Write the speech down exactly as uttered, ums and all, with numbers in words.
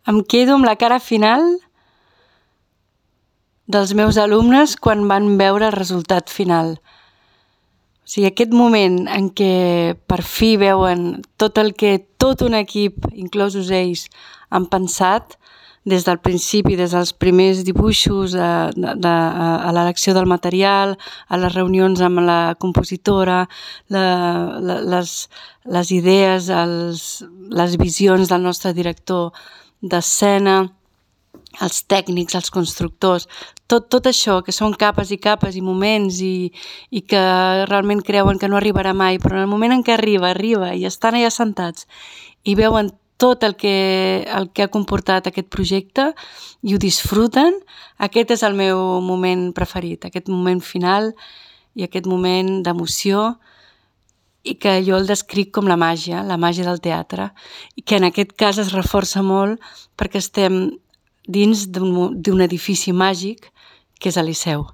Em quedo amb la cara final dels meus alumnes quan van veure el resultat final. O sigui, aquest moment en què per fi veuen tot el que tot un equip, inclosos ells, han pensat des del principi, des dels primers dibuixos, a, de, a l'elecció del material, a les reunions amb la compositora, la, la, les, les idees, els, les visions del nostre director d'escena, els tècnics, els constructors, tot, tot això, que són capes i capes i moments i, i que realment creuen que no arribarà mai, però en el moment en què arriba, arriba i estan allà sentats i veuen tot el que, el que ha comportat aquest projecte i ho disfruten, aquest és el meu moment preferit, aquest moment final i aquest moment d'emoció i que jo el descric com la màgia, la màgia del teatre, i que en aquest cas es reforça molt perquè estem dins d'un edifici màgic que és el Liceu.